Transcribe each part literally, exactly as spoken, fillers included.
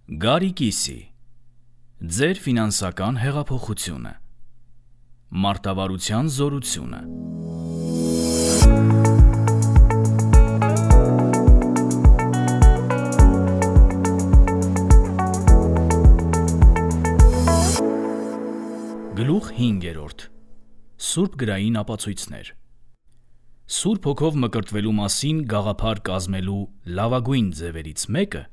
Գարիկիսի, ձեր ֆինանսական հեղափոխությունը, մարտավարության զորությունը։ Գլուխ հինգերորդ. Սուրբ գրային ապացույցներ։ Սուրբ հոգով մկրտվելու մասին գաղափար կազմելու լավագույն ձևերից մեկը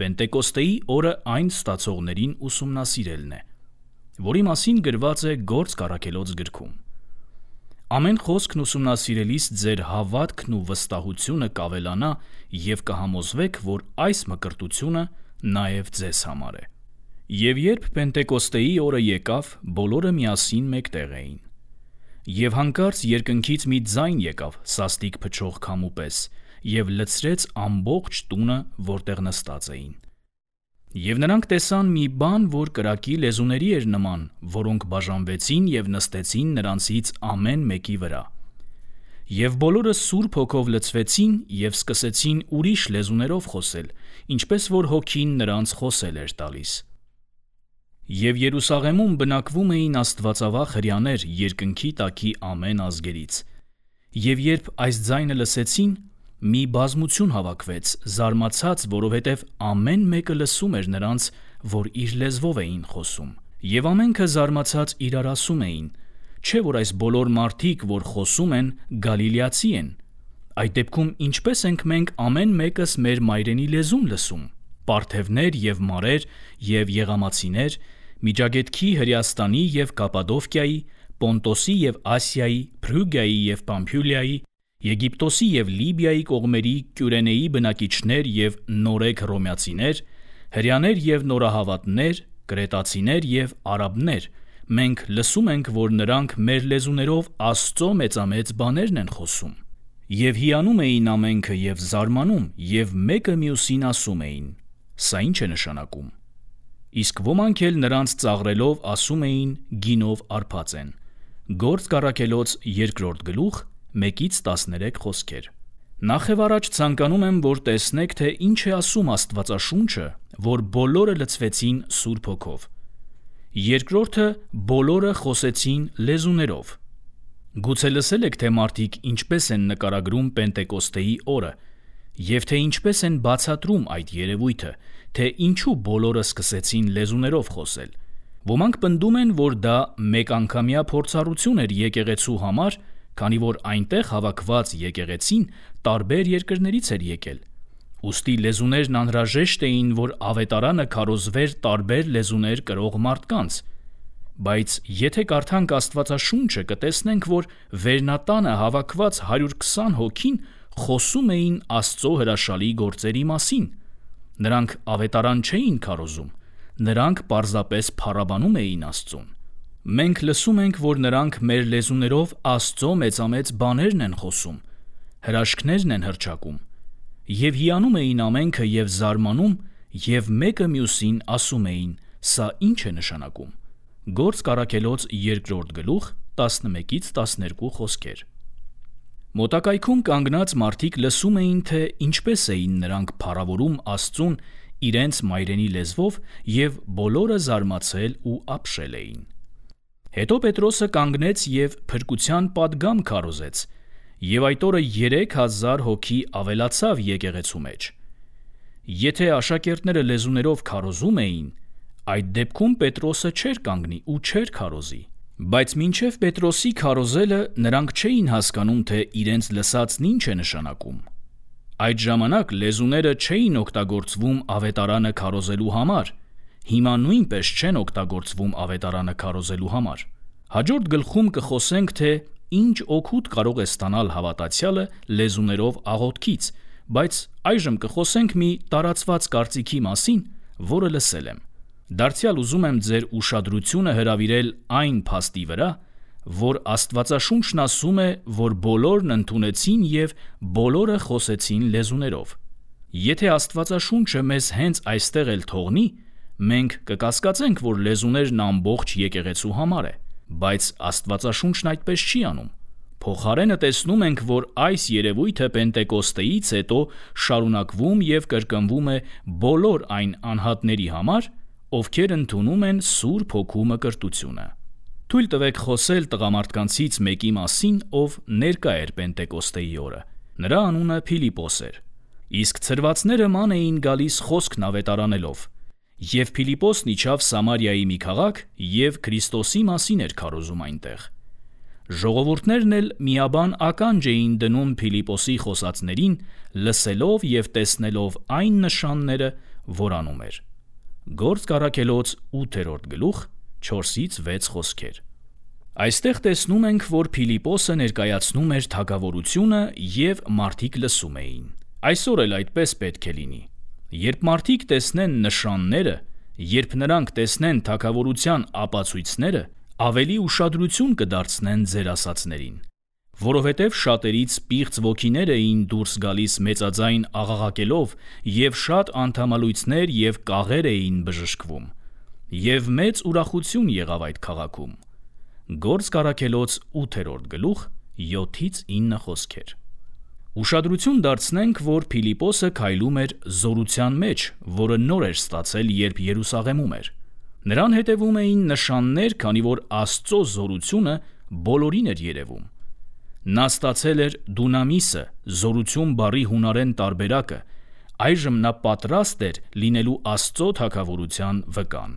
Պենտեկոստեի օրը այն ստացողներին ուսումնասիրելն է, որի մասին գրված է Գործք առաքելոց գրքում։ Ամեն խոսքն ուսումնասիրելիս ձեր հավատքն ու վստահությունը կավելանա և կհամոզվեք, որ այս մկրտությունը նաև ձեզ համար է։ Եվ երբ Պենտեկոստեի օրը եկավ, բոլորը միասին մեկտեղ էին։ Եվ հանկարծ երկնքից մի ձայն եկավ սաստիկ փչող քամու պես և լցրեց ամբողջ տունը, որտեղ նստած էին։ Եվ նրանք տեսան մի բան, որ կրակի լեզուների էր նման, որոնք բաժանվեցին և նստեցին նրանցից ամեն մեկի վրա։ Եվ բոլորը Սուրբ Հոգով լցվեցին և սկսեցին ուրիշ լեզուներով խոսել, ինչպես որ Հոգին նրանց խոսել էր տալիս։ Եվ Երուսաղեմում բնակվում էին աստվածավախ հրեաներ երկնքի տակի ամեն ազգերից։ Եվ երբ այս ձայնը լսեցին, մի բազմություն հավաքվեց, զարմացած, որովհետև ամեն մեկը լսում էր նրանց, որ իր լեզվով էին խոսում։ Եվ ամենքը զարմացած իրար ասում էին. չէ՞ որ այս բոլոր մարդիկ, որ խոսում են, գալիլեացի են։ Այդ դեպքում ինչպե՞ս ենք մենք ամեն մեկս մեր մայրենի լեզուն լսում։ Պարթևներ և մարեր և եղամացիներ, Միջագետքի, Հրեաստանի և Կապադովկիայի, Պոնտոսի և Ասիայի, Փրուգիայի և Պամփյուլիայի, Եգիպտոսի և Լիբիայի կողմերի Կյուրենեի բնակիչներ և նորեկ հռոմեացիներ, հրեաներ և նորահավատներ, կրետացիներ և արաբներ, մենք լսում ենք, որ նրանք մեր լեզուներով Աստծո մեծամեծ բաներն են խոսում։ Եվ հիանում էին ամենքը և զարմանում, և մեկը մյուսին ասում էին. սա ի՞նչ է նշանակում։ Իսկ ոմանք էլ նրանց ծաղրելով ասում էին գինով արբած են։ Գործք առաքելոց երկրորդ գլուխ մեկից տասներեք խոսքեր։ Նախևառաջ ցանկանում եմ, որ տեսնեք, թե ինչ է ասում Աստվածաշունչը, որ բոլորը լցվեցին Սուրբ Հոգով։ Երկրորդը բոլորը խոսեցին լեզուներով։ Գուցե լսել եք, թե մարդիկ ինչպես են նկարագրում Պենտեկոստեի օրը, և թե ինչպես են բացատրում այդ երևույթը, թե ինչու բոլորը սկսեցին լեզուներով խոսել։ Ոմանք պնդում են, որ դա մեկանգամյա փորձառություն էր եկեղեցու համար, քանի որ այնտեղ հավաքված եկեղեցին տարբեր երկրներից էր եկել։ Ուստի լեզուներն անհրաժեշտ էին, որ ավետարանը քարոզվեր տարբեր լեզուներ կրող մարդկանց։ Բայց եթե կարդանք Աստվածաշունչը, կտեսնենք, որ վերնատանը հավաքված հարյուր քսան հոգին խոսում էին Աստծո հրաշալի գործերի մասին։ Նրանք ավետարան չէին քարոզում, նրանք պարզապես փառաբանում էին Աստծուն։ Մենք լսում ենք, որ նրանք մեր լեզուներով Աստծո մեծամեծ բաներն են խոսում, հրաշքներն են հռչակում։ Եվ հիանում էին ամենքը և զարմանում, և մեկը մյուսին ասում էին. սա ի՞նչ է նշանակում։ Գործք առաքելոց երկրորդ գլուխ տասնմեկից տասներկու խոսքեր։ Մոտակայքում կանգնած մարդիկ լսում էին, թե ինչպես էին նրանք փառավորում Աստծուն իրենց մայրենի լեզվով, և բոլորը զարմացել ու ապշել էին։ Հետո Պետրոսը կանգնեց և փրկության պատգամ քարոզեց, և այդ օրը երեք հազար հոգի ավելացավ եկեղեցու մեջ։ Եթե աշակերտները լեզուներով քարոզում էին, այդ դեպքում Պետրոսը չէր կանգնի ու չէր քարոզի։ Բայց մինչև Պետրոսի քարոզելը նրանք չէին հասկանում, թե իրենց լսածն ինչ է նշանակում։ Այդ ժամանակ լեզուները չէին օգտագործվում ավետարանը քարոզելու համար, հիմա նույնպես չեն օգտագործվում ավետարանը քարոզելու համար։ Հաջորդ գլխում կխոսենք, թե ինչ օգուտ կարող է ստանալ հավատացյալը լեզուներով աղոթքից, բայց այժմ կխոսենք մի տարածված կարծիքի մասին, որը լսել եմ։ Դարձյալ ուզում եմ ձեր ուշադրությունը հրավիրել այն փաստի վրա, որ Աստվածաշունչն ասում է, որ բոլորն ընդունեցին և բոլորը խոսեցին լեզուներով։ Եթե Աստվածաշունչը մեզ հենց այստեղ էլ թողնի, մենք կկասկածենք, որ լեզուներն ամբողջ եկեղեցու համար է, բայց Աստվածաշունչն այդպես չի անում։ Փոխարենը տեսնում ենք, որ այս երևույթը Պենտեկոստեից հետո շարունակվում և կրկնվում է բոլոր այն անհատների համար, ովքեր ընդունում են Սուրբ Հոգու մկրտությունը։ Թույլ տվեք խոսել տղամարդկանցից մեկի մասին, ով ներկա էր Պենտեկոստեի օրը։ Նրա անունը Փիլիպոս էր։ Իսկ ցրվածները ման էին գալիս խոսքն ավետարանելով, և Փիլիպոսն իջավ Սամարիայի մի քաղաք և Քրիստոսի մասին էր քարոզում այնտեղ։ Ժողովուրդներն էլ միաբան ականջ էին դնում Փիլիպոսի խոսածներին, լսելով և տեսնելով այն նշանները, որ անում էր։ Գործք առաքելոց ութերորդ գլուխ չորսից վեց խոսքեր։ Այստեղ տեսնում ենք, որ Փիլիպոսը ներկայացնում էր թագավորությունը և մարդիկ լսում էին։ Այսօր էլ այդպես պետք է լինի։ Երբ մարդիկ տեսնեն նշանները, երբ նրանք տեսնեն թագավորության ապացույցները, ավելի ուշադրություն կդարձնեն ձեր ասածներին, որովհետև շատերից պիղծ ոգիներ էին դուրս գալիս մեծաձայն աղաղակելով, և շատ անդամալույցներ և կաղեր էին բժշկվում, և մեծ ուրախություն եղավ այդ քաղաքում։ Գործք առաքելոց ութերորդ գլուխ յոթից ինը խոսքեր։ Ուշադրություն դարձնենք, որ Փիլիպոսը քայլում էր զորության մեջ, որը նոր էր ստացել, երբ Երուսաղեմում էր։ Նրան հետևում էին նշաններ, քանի որ Աստծո զորությունը բոլորին էր երևում։ Նա ստացել էր դունամիսը, զորություն բառի հունարեն տարբերակը, այժմ նա պատրաստ էր լինելու Աստծո թագավորության վկան։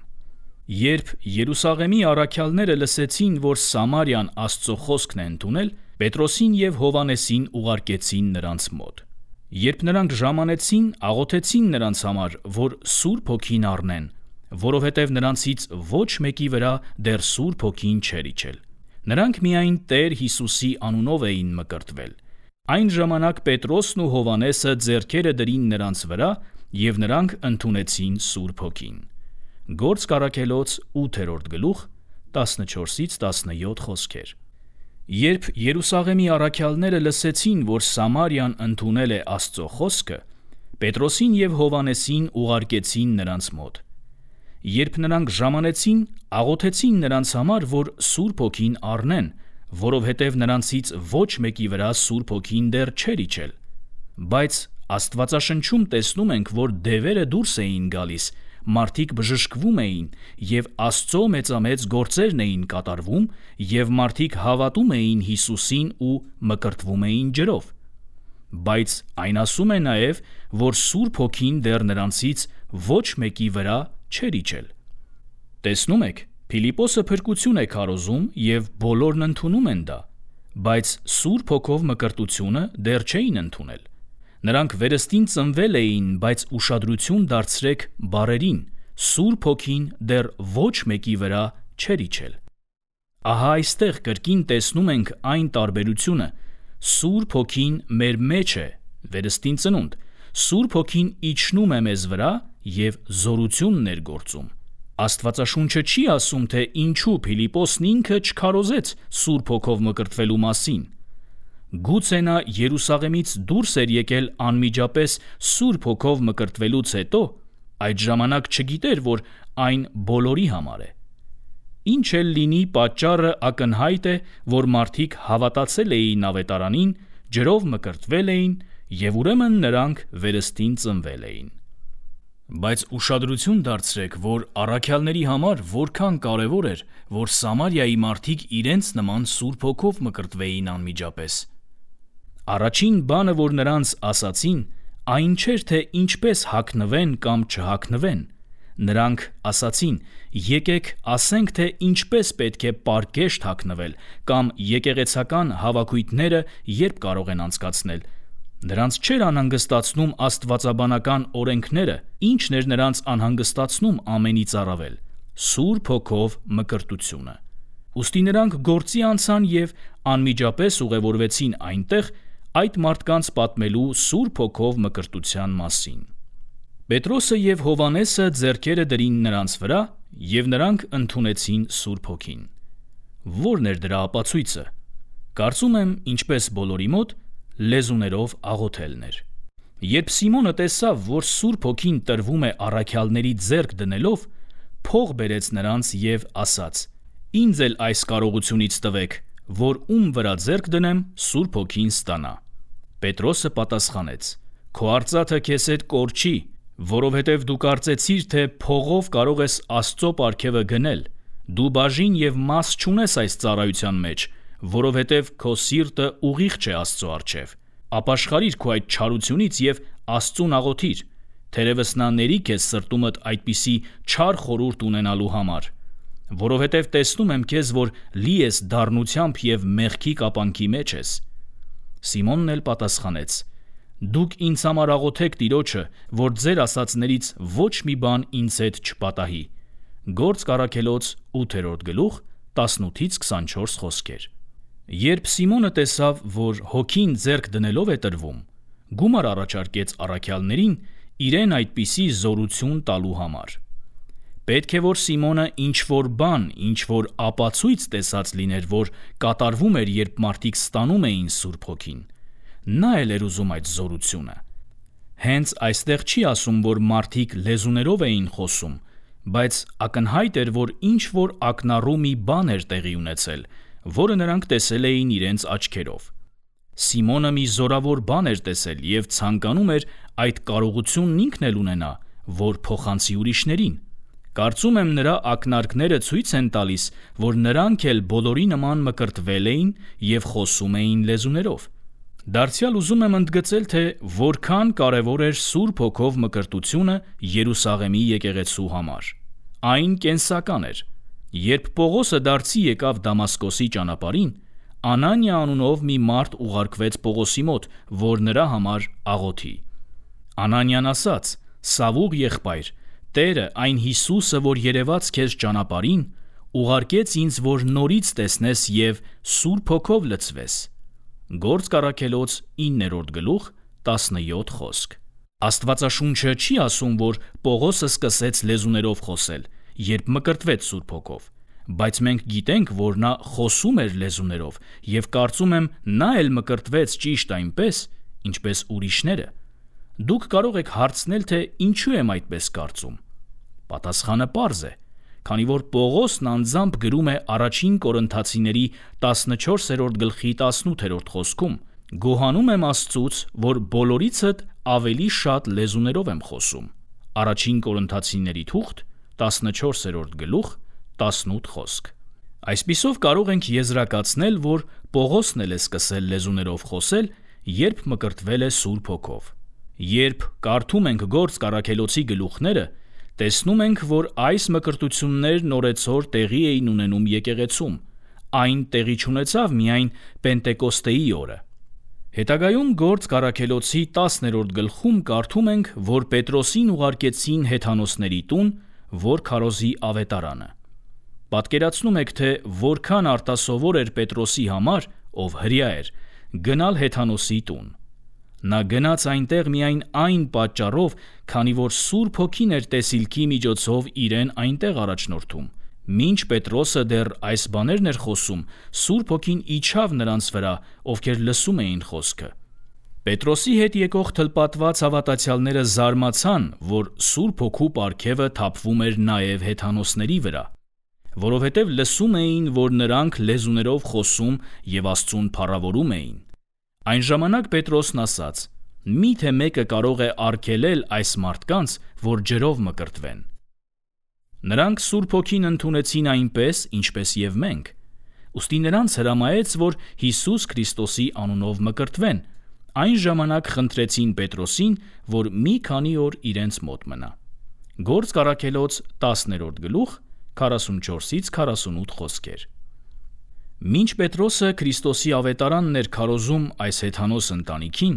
Երբ Երուսաղեմի առաքյալները լսեցին, որ Սամարիան Աստծո խոսքն է ընդունել, Պետրոսին և Հովհաննեսին ուղարկեցին նրանց մոտ։ Երբ նրանք ժամանեցին, աղոթեցին նրանց համար, որ Սուրբ Հոգին առնեն, որովհետև նրանցից ոչ մեկի վրա դեռ Սուրբ Հոգին չէր իջել։ Նրանք միայն Տեր Հիսուսի անունով էին մկրտվել։ Այն ժամանակ Պետրոսն ու Հովհաննեսը ձեռքերը դրին նրանց վրա, և նրանք ընդունեցին Սուրբ Հոգին։ Գործք առաքելոց ութերորդ գլուխ տասնչորսից տասնյոթ խոսքեր։ Երբ Երուսաղեմի առաքյալները լսեցին, որ Սամարիան ընդունել է Աստծո խոսքը, Պետրոսին և Հովհաննեսին ուղարկեցին նրանց մոտ։ Երբ նրանք ժամանեցին, աղոթեցին նրանց համար, որ Սուրբ Հոգին առնեն, որովհետև նրանցից ոչ մեկի վրա Սուրբ Հոգին դեռ չէր իջել։ Բայց Աստվածաշնչում տեսնում ենք, որ դևերը դուրս էին գալիս, մարդիկ բժշկվում էին, և Աստծո մեծամեծ գործերն էին կատարվում, և մարդիկ հավատում էին Հիսուսին ու մկրտվում էին ջրով։ Բայց այն ասում է նաև, որ Սուրբ Հոգին դեռ նրանցից ոչ մեկի վրա չէր իջել։ Տեսնում եք, Փիլիպոսը փրկություն է քարոզում, և բոլորն ընդունում են դա, բայց Սուրբ Հոգով մկրտությունը դեռ չէին ընդունել։ Նրանք վերստին ծնվել էին, բայց ուշադրություն դարձրեք բառերին. Սուրբ Հոգին դեռ ոչ մեկի վրա չէր իջել։ Ահա այստեղ կրկին տեսնում ենք այն տարբերությունը. Սուրբ Հոգին մեր մեջ է, վերստին ծնունդ, Սուրբ Հոգին իջնում է մեզ վրա և զորությունն էր գործում։ Աստվածաշունչը չի ասում, թե ինչու Փիլիպոսն ինքը չքարոզեց Սուրբ Հոգով մկրտվելու մասին։ Գուցե նա Երուսաղեմից դուրս էր եկել անմիջապես Սուրբ Հոգով մկրտվելուց հետո, այդ ժամանակ չգիտեր, որ այն բոլորի համար է։ Ինչ էլ լինի, պատճառը ակնհայտ է, որ մարդիկ հավատացել էին ավետարանին, ջրով մկրտվել էին, և ուրեմն նրանք վերստին ծնվել էին։ Բայց ուշադրություն դարձրեք, որ առաքյալների համար որքան կարևոր էր, որ Սամարիայի մարդիկ իրենց նման Սուրբ Հոգով մկրտվեին անմիջապես։ Առաջին բանը, որ նրանց ասացին, այն չէր, թե ինչպես հագնվեն կամ չհագնվեն։ Նրանք ասացին. եկեք ասենք, թե ինչպես պետք է պարկեշտ հագնվել, կամ եկեղեցական հավաքույթները երբ կարող են անցկացնել։ Նրանց չէր անհանգստացնում աստվածաբանական օրենքները, ինչն էր նրանց անհանգստացնում ամենից առավել՝ Սուրբ Հոգով մկրտությունը։ Ուստի նրանք գործի անցան և անմիջապես ուղևորվեցին այնտեղ այդ մարդկանց պատմելու Սուրբ Հոգով մկրտության մասին։ Պետրոսը և Հովհաննեսը ձեռքերը դրին նրանց վրա, և նրանք ընդունեցին Սուրբ Հոգին։ Ո՞րն էր դրա ապացույցը։ Կարծում եմ, ինչպես բոլորի մոտ, լեզուներով աղոթելն էր։ Երբ Սիմոնը տեսավ, որ Սուրբ Հոգին տրվում է առաքյալների ձեռք դնելով, փող բերեց նրանց և ասաց. «Ինձ էլ այս կարողությունից տվեք, որ ում վրա ձեռք դնեմ, Սուրբ Հոգին ստանա։ Պետրոսը պատասխանեց. Քո արծաթը քեզ հետ կորչի, որովհետև դու կարծեցիր, թե փողով կարող ես Աստծո պարգևը գնել։ Դու բաժին եւ մաս չունես այս ծառայության մեջ, որովհետև քո սիրտը ուղիղ չէ Աստծո առջև։ Ապաշխարիր քո այդ չարությունից եւ Աստծուն աղոթիր, թերևս նա ների քեզ սրտումդ այդպիսի չար խորհուրդ ունենալու համար, որովհետև տեսնում եմ քեզ, որ լի ես դառնությամբ եւ մեղքի կապանքի մեջ ես։ Սիմոնն էլ պատասխանեց. Դուք ինձ համար աղոթեք Տիրոջը, որ ձեր ասածներից ոչ մի բան ինձ հետ չպատահի։ Գործք առաքելոց ութերորդ գլուխ տասնութից քսանչորս խոսքեր։ Երբ Սիմոնը տեսավ, որ հոգին ձեռք դնելով է տրվում, գումար առաջարկեց առաքյալներին իրեն այդպիսի զորություն տալու համար։ Պետք է որ Սիմոնը ինչ-որ բան, ինչ-որ ապացույց տեսած լիներ, որ կատարվում էր, երբ մարդիկ ստանում էին Սուրբ Հոգին։ Նա էլ էր ուզում այդ զորությունը։ Հենց այստեղ չի ասում, որ մարդիկ լեզուներով էին խոսում, բայց ակնհայտ էր, որ ինչ-որ ակնառու մի բան էր տեղի ունեցել, որը նրանք տեսել էին իրենց աչքերով։ Սիմոնը մի զորավոր բան էր տեսել եւ ցանկանում էր այդ կարողությունն ինքն էլ ունենա, որ փոխանցի ուրիշներին։ Կարծում եմ նրա ակնարկները ցույց են տալիս, որ նրանք էլ բոլորի նման մկրտվել էին եւ խոսում էին լեզուներով։ Դարձյալ ուզում եմ ընդգծել, թե որքան կարևոր էր Սուրբ Հոգով մկրտությունը Երուսաղեմի եկեղեցու համար։ Այն կենսական էր։ Երբ Պողոսը դարձի եկավ Դամասկոսի ճանապարհին, Անանիա անունով մի մարդ ուղարկվեց Պողոսի մոտ, որ նրա համար աղոթի։ Անանիան ասաց. «Սավուղ եղբայր, Տերը, այն Հիսուսը, որ երևաց քեզ ճանապարհին, ուղարկեց ինձ, որ նորից տեսնես եւ Սուրբ Հոգով լցվես»։ Գործք առաքելոց իններորդ գլուխ տասնյոթ խոսք։ Աստվածաշունչը չի ասում, որ Պողոսը սկսեց լեզուներով խոսել, երբ մկրտվեց Սուրբ Հոգով, բայց մենք գիտենք, որ նա խոսում էր լեզուներով եւ կարծում եմ նա էլ մկրտվեց ճիշտ այնպես, ինչպես ուրիշները։ Դուք կարող եք հարցնել, թե ինչու եմ այդպես կարծում։ Պատասխանը պարզ է, քանի որ Պողոսն անձամբ գրում է առաջին Կորինթացիների տասնչորսերորդ գլխի տասնութերորդ խոսքում. «Գոհանում եմ Աստծուց, որ բոլորիցդ ավելի շատ լեզուներով եմ խոսում»։ Առաջին Կորինթացիների թուղթ տասնչորսերորդ գլուխ տասնութ խոսք։ Այսպիսով կարող ենք եզրակացնել, որ Պողոսն էլ է սկսել լեզուներով խոսել, երբ մկրտվել է Սուրբ Հոգով։ Երբ կարդում ենք Գործք առաքելոցի գլուխները, տեսնում ենք, որ այս մկրտություններն օրեցօր տեղի էին ունենում եկեղեցում։ Այն տեղի չունեցավ միայն Պենտեկոստեի օրը։ Հետագայում Գործք առաքելոցի տասներորդ գլխում կարդում ենք, որ Պետրոսին ուղարկեցին հեթանոսների տուն, որ քարոզի ավետարանը։ Պատկերացնում եք, թե որքան արտասովոր էր Պետրոսի համար, ով հրյա էր, գնալ հեթանոսի տուն։ Նա գնաց այնտեղ միայն այն պատճառով, քանի որ Սուրբ Հոգին էր տեսիլքի միջոցով իրեն այնտեղ առաջնորդում։ Մինչ Պետրոսը դեռ այս բաներն էր խոսում, Սուրբ Հոգին իջավ նրանց վրա, ովքեր լսում էին խոսքը։ Պետրոսի հետ եկող թլպատված հավատացյալները զարմացան, որ Սուրբ Հոգու պարգևը թափվում էր նաև հեթանոսների վրա, որովհետև լսում էին, որ նրանք լեզուներով խոսում եւ Աստծուն փառավորում էին։ Այն ժամանակ Պետրոսն ասաց. «Միթե մեկը կարող է արգելել այս մարդկանց, որ ջրով մկրտվեն»։ Նրանք Սուրբ Հոգին ընդունեցին այնպես, ինչպես եւ մենք։ Ուստի նրանց հրամայեց, որ Հիսուս Քրիստոսի անունով մկրտվեն։ Այն ժամանակ խնդրեցին Պետրոսին, որ մի քանի օր իրենց մոտ մնա։ Գործք առաքելոց տասներորդ գլուխ քառասունչորսից քառասունութ խոսքեր։ Մինչ Պետրոսը Քրիստոսի ավետարանն էր քարոզում այս հեթանոս ընտանիքին,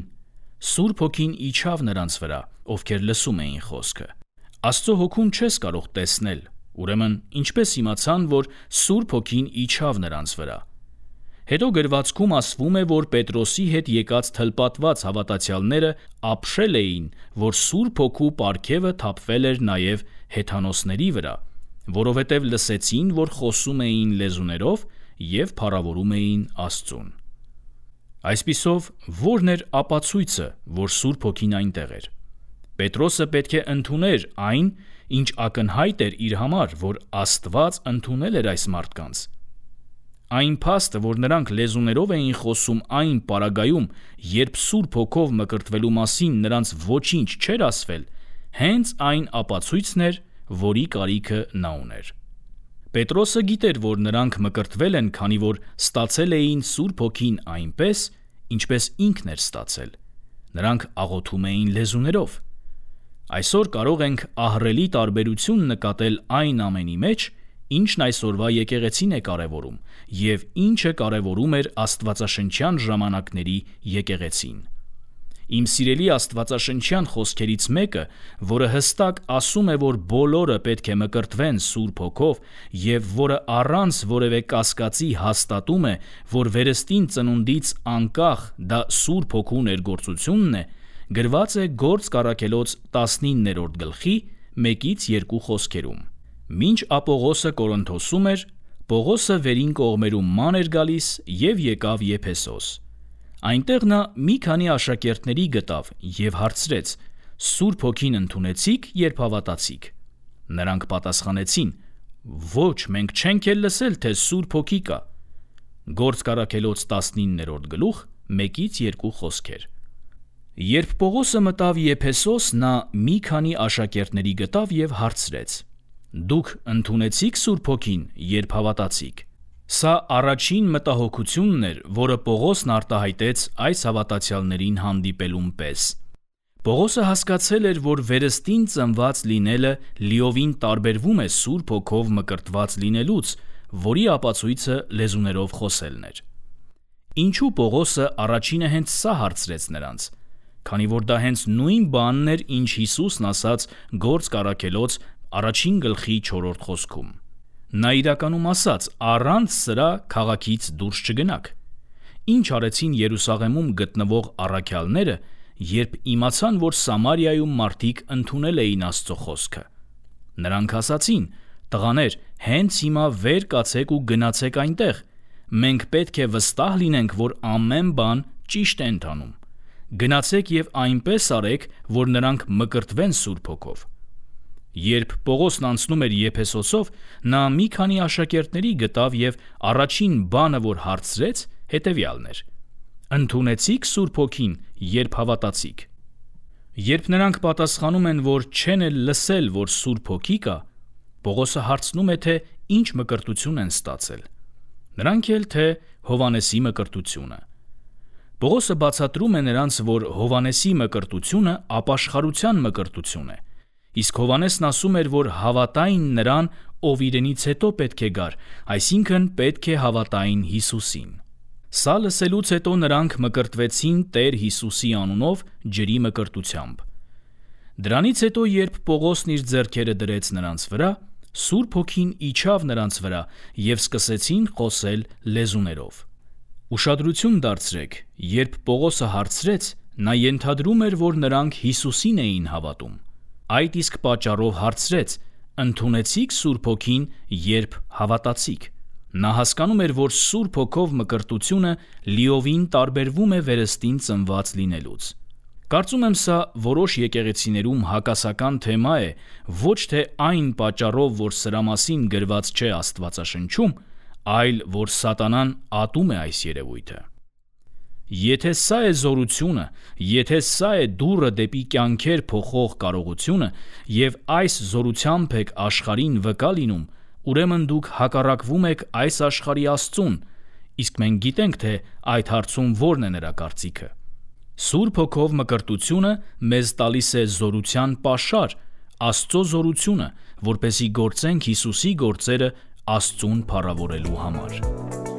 Սուրբ Հոգին իջավ նրանց վրա, ովքեր լսում էին խոսքը։ Աստծո հոգուն չես կարող տեսնել, ուրեմն ինչպես իմացան, որ Սուրբ Հոգին իջավ նրանց վրա։ Հետո գրվածքում ասվում է, որ Պետրոսի հետ եկած թլպատված հավատացյալները ապշել էին, որ Սուրբ Հոգու պարգևը թափվել էր նաև հեթանոսների վրա, որովհետև լսեցին, որ խոսում էին լեզուներով և փառավորում էին Աստծուն։ Այսպիսով, ո՞րն էր ապացույցը, որ Սուրբ Հոգին այնտեղ էր։ Պետրոսը պետք է ընդուներ այն, ինչ ակնհայտ էր իր համար, որ Աստված ընդունել էր այս մարդկանց։ Այն փաստը, որ նրանք լեզուներով էին խոսում այն պարագայում, երբ Սուրբ Հոգով մկրտվելու մասին նրանց ոչինչ չէր ասվել, հենց այն ապացույցն էր, որի կարիքը նա ուներ։ Պետրոսը գիտեր, որ նրանք մկրտվել են, քանի որ ստացել էին Սուրբ Հոգին այնպես, ինչպես ինքն էր ստացել։ Նրանք աղոթում էին լեզուներով։ Այսօր կարող ենք ահռելի տարբերություն նկատել այն ամենի մեջ, ինչն այսօրվա եկեղեցին է կարևորում, և ինչը կարևորում էր աստվածաշնչյան ժամանակների եկեղեցին։ Իմ սիրելի աստվածաշնչյան խոսքերից մեկը, որը հստակ ասում է, որ բոլորը պետք է մկրտվեն Սուրբ Հոգով և որը առանց որևէ կասկածի հաստատում է, որ վերստին ծնունդից անկախ դա Սուրբ Հոգու ներգործությունն է, գրված է Գործք առաքելոց տասնիններորդ գլխի մեկից երկու խոսքերում։ Մինչ Ապողոսը Կորինթոսում էր, Պողոսը վերին կողմերում ման էր գալիս և եկավ Եփեսոս։ Այնտեղ նա մի քանի աշակերտների գտավ և հարցրեց. «Սուրբ Հոգին ընդունեցի՞ք, երբ հավատացիք»։ Նրանք պատասխանեցին. «Ոչ, մենք չենք էլ լսել, թե Սուրբ Հոգի կա»։ Գործք առաքելոց տասնիններորդ գլուխ մեկից երկու խոսքեր։ Երբ Պողոսը մտավ Եփեսոս, նա մի քանի աշակերտների գտավ և հարցրեց. «Դուք ընդունեցի՞ք Սուրբ Հոգին, երբ հավատացիք»։ Սա առաջին մտահոգությունն էր, որը Պողոսն արտահայտեց այս հավատացյալներին հանդիպելուն պես։ Պողոսը հասկացել էր, որ վերստին ծնված լինելը լիովին տարբերվում է Սուրբ Հոգով մկրտված լինելուց, որի ապացույցը լեզուներով խոսելն էր։ Ինչու Պողոսը առաջինը հենց սա հարցրեց նրանց, քանի որ դա հենց նույն բանն էր, ինչ Հիսուսն ասաց Գործք առաքելոց առաջին գլխի չորրորդ խոսքում։ Նա իրականում ասաց. «Առանց սրա քաղաքից դուրս չգնաք»։ Ինչ արեցին Երուսաղեմում գտնվող առաքյալները, երբ իմացան, որ Սամարիայում մարդիկ ընդունել էին Աստծո խոսքը։ Նրանք ասացին. «Տղաներ, հենց հիմա վեր կացեք ու գնացեք այնտեղ։ Մենք պետք է վստահ լինենք, որ ամեն բան ճիշտ է ընթանում։ Գնացեք և այնպես արեք, որ նրանք մկրտվեն Սուրբ Հոգով»։ Երբ Պողոսն անցնում էր Եփեսոսով, նա մի քանի աշակերտների գտավ և առաջին բանը, որ հարցրեց, հետևյալն էր. «Ընդունեցի՞ք Սուրբ Հոգին, երբ հավատացիք»։ Երբ նրանք պատասխանում են, որ չեն էլ լսել, որ Սուրբ Հոգի կա, Պողոսը հարցնում է, թե ինչ մկրտություն են ստացել։ Նրանք էլ, թե Հովհաննեսի մկրտությունը։ Պողոսը բացատրում է նրանց, որ Հովհաննեսի մկրտությունը ապաշխարության մկրտություն է, իսկ Հովհաննեսն ասում էր, որ հավատային նրան, ով իրենից հետո պետք է գար, այսինքն պետք է հավատային Հիսուսին։ Սա լսելուց հետո նրանք մկրտվեցին Տեր Հիսուսի անունով ջրի մկրտությամբ։ Դրանից հետո, երբ Պողոսն իր ձեռքերը դրեց նրանց վրա, Սուրբ Հոգին իջավ նրանց վրա և սկսեցին խոսել լեզուներով։ Ուշադրություն դարձրեք, երբ Պողոսը հարցրեց, նա ենթադրում էր, որ նրանք Հիսուսին էին հավատում։ Այդ իսկ պատճառով հարցրեց. «Ընդունեցի՞ք Սուրբ Հոգին, երբ հավատացիք»։ Նա հասկանում էր, որ Սուրբ Հոգով մկրտությունը լիովին տարբերվում է վերստին ծնված լինելուց։ Կարծում եմ, սա որոշ եկեղեցիներում հակասական թեմա է, ոչ թե այն պատճառով, որ սրա մասին գրված չէ Աստվածաշնչում, այլ որ Սատանան ատում է այս երևույթը։ Եթե սա է զորությունը, եթե սա է դուռը դեպի կյանքեր փոխող կարողությունը, և այս զորությամբ եք աշխարհին վկա լինում, ուրեմն դուք հակառակվում եք այս աշխարհի Աստծուն, իսկ մենք գիտենք, թե այդ հարցում որն է նրա կարծիքը։ Սուրբ Հոգով մկրտությունը մեզ տալիս է զորության պաշար, Աստծո զորությունը, որպեսզի գործենք Հիսուսի գործերը Աստծուն փառավորելու համար։